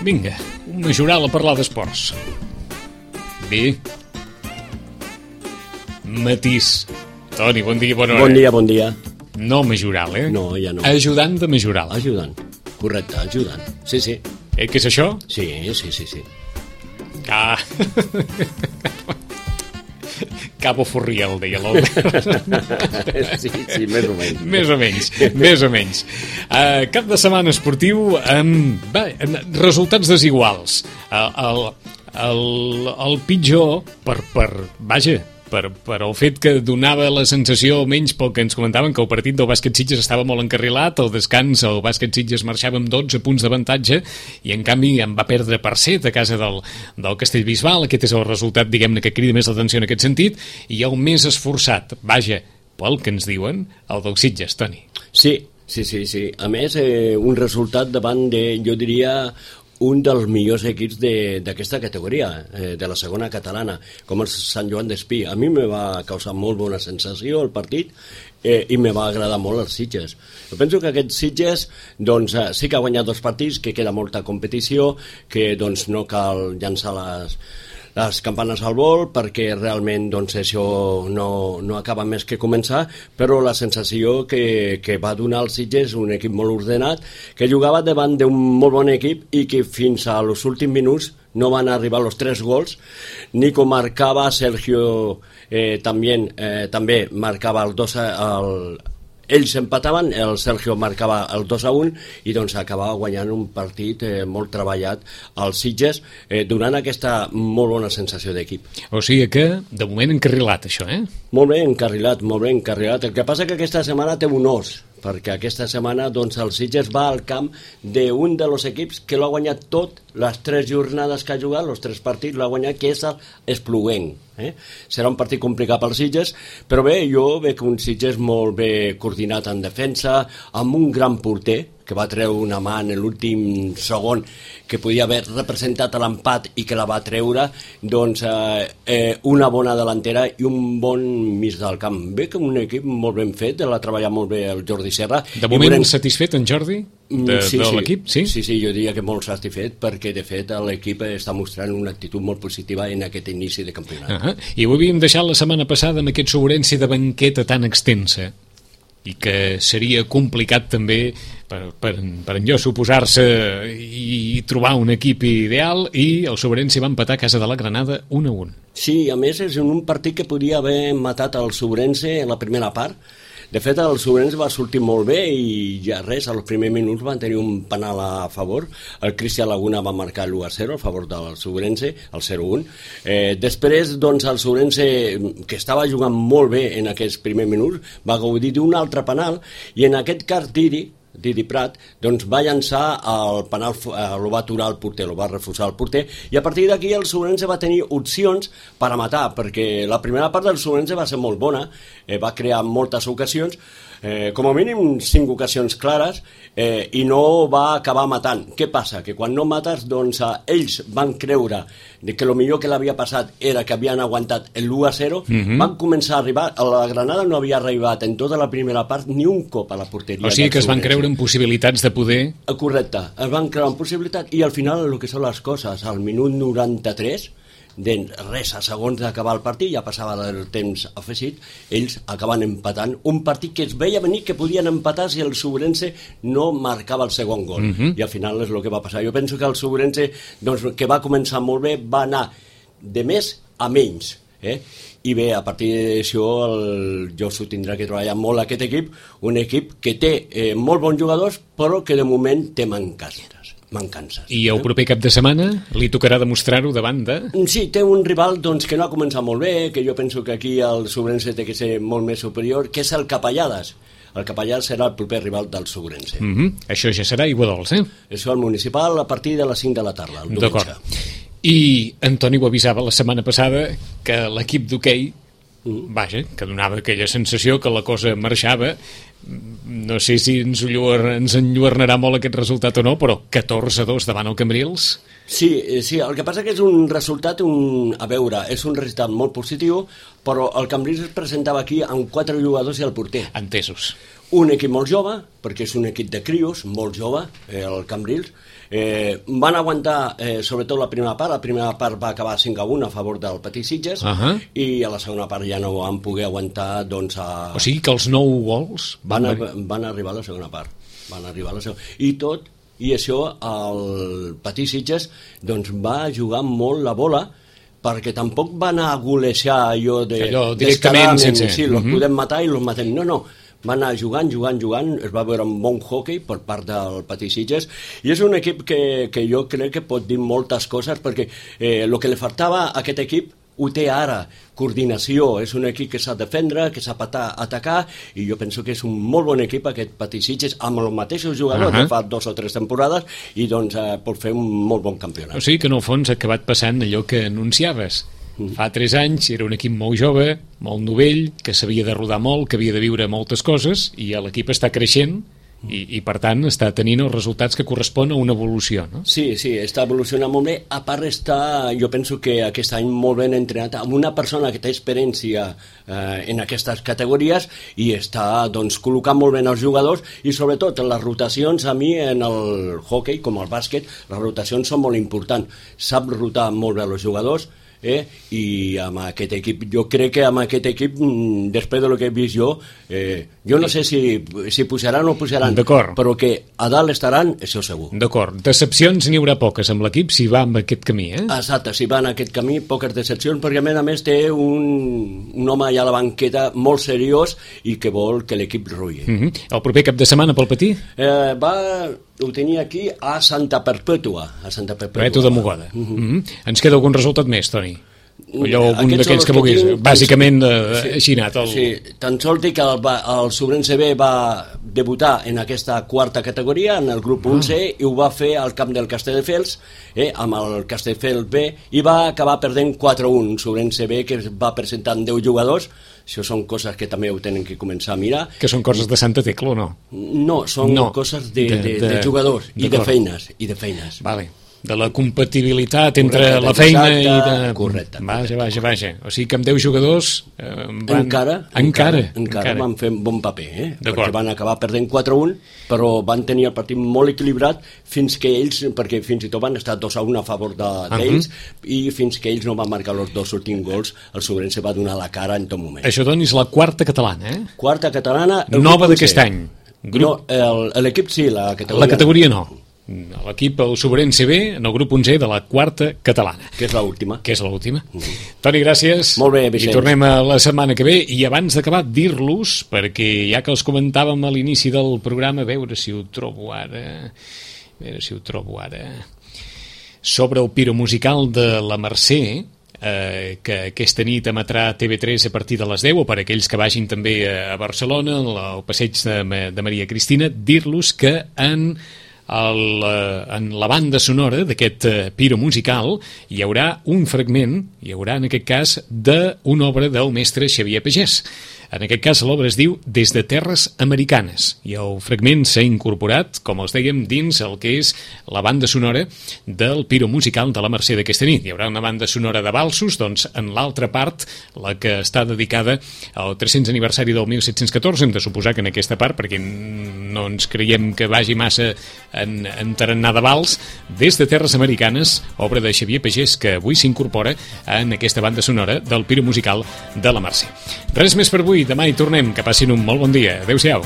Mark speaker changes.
Speaker 1: Vinga, un majoral a parlar d'esports. Bé. Matís. Toni, bon dia, bona hora.
Speaker 2: Bon dia, bon dia.
Speaker 1: No majoral, eh?
Speaker 2: No, ja no.
Speaker 1: Ajudant de majoral.
Speaker 2: Ajudant. Correcte, ajudant. Sí, sí.
Speaker 1: Què és això?
Speaker 2: Sí, sí, sí, sí.
Speaker 1: Ah. Cabo Furriel, deia l'Albert.
Speaker 2: Sí, sí, més o menys.
Speaker 1: Més o menys. Cap de setmana esportiu amb resultats desiguals. El pitjor per el fet que donava la sensació, almenys pel que ens comentaven, que el partit del Bàsquet Sitges estava molt encarrilat, al descans el Bàsquet Sitges marxava amb 12 punts d'avantatge i en canvi en va perdre per 7 a casa del Castellbisbal. Aquest és el resultat, diguem-ne, que crida més l'atenció en aquest sentit, i el més esforçat, pel que ens diuen, el del Sitges, Toni.
Speaker 2: Sí. A més, un resultat davant de, jo diria, un dels millors equips d'aquesta categoria, de la segona catalana, com el Sant Joan d'Espí. A mi me va causar molt bona sensació el partit i me va agradar molt els Sitges. Jo penso que aquest Sitges doncs, sí que ha guanyat 2 partits, que queda molta competició, que doncs, no cal llançar les campanes al vol, perquè realment doncs, això no acaba més que començar, però la sensació que va donar el Sitges, un equip molt ordenat, que jugava davant d'un molt bon equip i que fins als últims minuts no van arribar els 3 gols. Nico marcava, Sergio també marcava el 2 ells empataven, el Sergio marcava el 2-1 i doncs acabava guanyant un partit molt treballat als Sitges, donant aquesta molt bona sensació d'equip.
Speaker 1: O sigui que, de moment, encarrilat, això, eh?
Speaker 2: Molt ben encarrilat. El que passa que aquesta setmana té un os, perquè aquesta setmana doncs, el Sitges va al camp d'un dels equips que l'ha guanyat tot, les 3 jornades que ha jugat, els 3 partits l'ha guanyat, que és l'Espluguenc. Serà un partit complicat pels Sitges, però bé, jo veig un Sitges molt bé coordinat en defensa, amb un gran porter, que va treure una mà en l'últim segon, que podia haver representat l'empat i que la va treure, doncs una bona delantera i un bon mig del camp. Ve que un equip molt ben fet, l'ha treballat molt bé el Jordi Serra.
Speaker 1: De moment satisfet en Jordi de l'equip? Sí,
Speaker 2: jo diria que molt satisfet, perquè de fet l'equip està mostrant una actitud molt positiva en aquest inici de campionat.
Speaker 1: I ho havíem deixat la setmana passada amb aquest sobrenci de banqueta tan extensa, i que seria complicat també per enlloç oposar-se i trobar un equip ideal, i el Sobrense va empatar a casa de la Granada 1-1.
Speaker 2: Sí, a més és un partit que podia haver matat el Sobrense en la primera part. De fet, el Sobrense va sortir molt bé i ja res, als primers minuts van tenir un penal a favor. El Cristian Laguna va marcar l'1-0 a favor del Sobrense, el 0-1. Després, doncs, el Sobrense, que estava jugant molt bé en aquests primers minuts, va gaudir d'un altre penal, i en aquest cas Didi Prat, doncs va llançar el penal, el va aturar el porter, el va refusar el porter, i a partir d'aquí el Sobrense va tenir opcions per a matar, perquè la primera part del Sobrense va ser molt bona, va crear moltes ocasions, com a mínim 5 ocasions clares, i no va acabar matant. Què passa? Que quan no mates, doncs ells van creure que el millor que l'havia passat era que havien aguantat l'1-0, van començar a arribar, la Granada no havia arribat en tota la primera part ni un cop a la porteria.
Speaker 1: O sigui que es van creure en possibilitats de poder...
Speaker 2: Correcte, es van creure en possibilitats, i al final el que són les coses, al minut 93, de res, a segons d'acabar el partit, ja passava del temps afegit, ells acaben empatant un partit que es veia venir que podien empatar si el Sobrense no marcava el segon gol, i al final és el que va passar. Jo penso que el Sobrense, doncs, que va començar molt bé, va anar de més a menys, i bé, a partir d'això el Josu tindrà que treballar molt aquest equip, un equip que té molt bons jugadors, però que de moment té mancances.
Speaker 1: I el proper cap de setmana li tocarà demostrar-ho davant de...
Speaker 2: Sí, té un rival doncs, que no ha començat molt bé, que jo penso que aquí el Sobrense té que ser molt més superior, que és el Capellades. El Capellades serà el proper rival del Sobrense.
Speaker 1: Això ja serà Iguadols,
Speaker 2: Això al municipal a partir de les 5 de la tarda, el diumenge.
Speaker 1: D'acord. I Antoni ho avisava la setmana passada, que l'equip d'hoquei, que donava aquella sensació que la cosa marxava. No sé si ens enlluernarà molt aquest resultat o no, però 14-2 davant el Cambrils.
Speaker 2: Sí, el que passa que és un resultat, a veure, és un resultat molt positiu, però el Cambrils es presentava aquí amb 4 jugadors i el porter.
Speaker 1: Entesos.
Speaker 2: un equip molt jove, perquè és un equip de crios, molt jove, el Cambrils. Van aguantar, sobretot la primera part va acabar 5-1 a favor del Petit Sitges, i a la segona part ja no van poder aguantar, doncs...
Speaker 1: O sigui que els 9 gols...
Speaker 2: Van arribar a la segona part. I això, el Petit Sitges doncs, va jugar molt la bola, perquè tampoc van a golejar allò
Speaker 1: directament sense...
Speaker 2: Sí, los podem matar i los matem. No, van anar jugant, es va veure un bon hockey per part del Petit Sitges, i és un equip que jo crec que pot dir moltes coses, perquè el que li faltava a aquest equip ho té ara, coordinació, és un equip que sap defendre, que sap atacar, i jo penso que és un molt bon equip aquest Petit Sitges, amb els mateixos jugadors de fa 2 o 3 temporades, i doncs pot fer un molt bon campionat.
Speaker 1: O sigui que en el fons ha acabat passant allò que anunciaves. Fa 3 anys era un equip molt jove, molt novell, que s'havia de rodar molt, que havia de viure moltes coses, i l'equip està creixent, i per tant està tenint els resultats que correspon a una evolució, no?
Speaker 2: Sí, està evolucionant molt bé. A part jo penso que aquest any molt ben entrenat amb una persona que té experiència en aquestes categories, i està doncs col·locant molt bé els jugadors, i sobretot les rotacions. A mi en el hockey, com el bàsquet, les rotacions són molt importants. Sap rotar molt bé els jugadors, i amb aquest equip, jo crec que amb aquest equip, després del que he vist jo no sé si pujaran o pujaran, però que a dalt estaran, això segur.
Speaker 1: D'acord, decepcions n'hi haurà poques amb l'equip si va amb aquest camí,
Speaker 2: Exacte, si va en aquest camí, poques decepcions, perquè a més té un home allà a la banqueta molt seriós i que vol que l'equip rulli.
Speaker 1: El proper cap de setmana pel Patí?
Speaker 2: Ho tenia aquí a Santa Perpètua.
Speaker 1: Perpètua de Mogoda. Ens queda algun resultat més, Toni? Allò, algun d'aquells que vulguis, bàsicament així anat.
Speaker 2: Sí, tan sols dic que el Sobrense B va debutar en aquesta quarta categoria, en el grup 11, i ho va fer al camp del Castelldefels, amb el Castelldefels B, i va acabar perdent 4-1. Sobrense B, que va presentar 10 jugadors. Això són coses que també ho tenen que començar a mirar.
Speaker 1: Que són coses de Santa Tecla o no?
Speaker 2: No, són coses de jugadors i de feines.
Speaker 1: Vale. De la compatibilitat entre la feina i de...
Speaker 2: Correcte.
Speaker 1: Vaja. O sigui que amb 10 jugadors encara
Speaker 2: van fer un bon paper, perquè van acabar perdent 4-1, però van tenir el partit molt equilibrat fins que ells, perquè fins i tot van estar 2-1 a favor d'ells, i fins que ells no van marcar els 2 últims gols, el Sobrense va donar la cara en tot moment.
Speaker 1: Això, doncs, és la quarta catalana,
Speaker 2: Quarta catalana.
Speaker 1: Nova d'aquest any.
Speaker 2: No, l'equip sí, la categoria.
Speaker 1: La categoria no. L'equip, el Sobrense B, en el grup 11 de la quarta catalana.
Speaker 2: Que és l'última.
Speaker 1: Toni, gràcies.
Speaker 2: Molt bé, Vicenç.
Speaker 1: I tornem a la setmana que ve. I abans d'acabar, dir-los, perquè ja que els comentàvem a l'inici del programa, a veure si ho trobo ara, sobre el piro musical de la Mercè, que aquesta nit emetrà TV3 a partir de les 10, o per aquells que vagin també a Barcelona, al passeig de Maria Cristina, dir-los que en la banda sonora d'aquest piro musical hi haurà un fragment, en aquest cas, d'una obra del mestre Xavier Pagès. En aquest cas l'obra es diu Des de Terres Americanes, i el fragment s'ha incorporat, com els dèiem, dins el que és la banda sonora del piro musical de la Mercè d'aquesta nit. Hi haurà una banda sonora de valsos, doncs en l'altra part, la que està dedicada al 300 aniversari del 1714, hem de suposar que en aquesta part, perquè no ens creiem que vagi massa en tarannà de vals, Des de Terres Americanes, obra de Xavier Pagès, que avui s'incorpora en aquesta banda sonora del piro musical de la Mercè. Res més per avui. Demà hi tornem. Que passin un molt bon dia. Adéu-siau.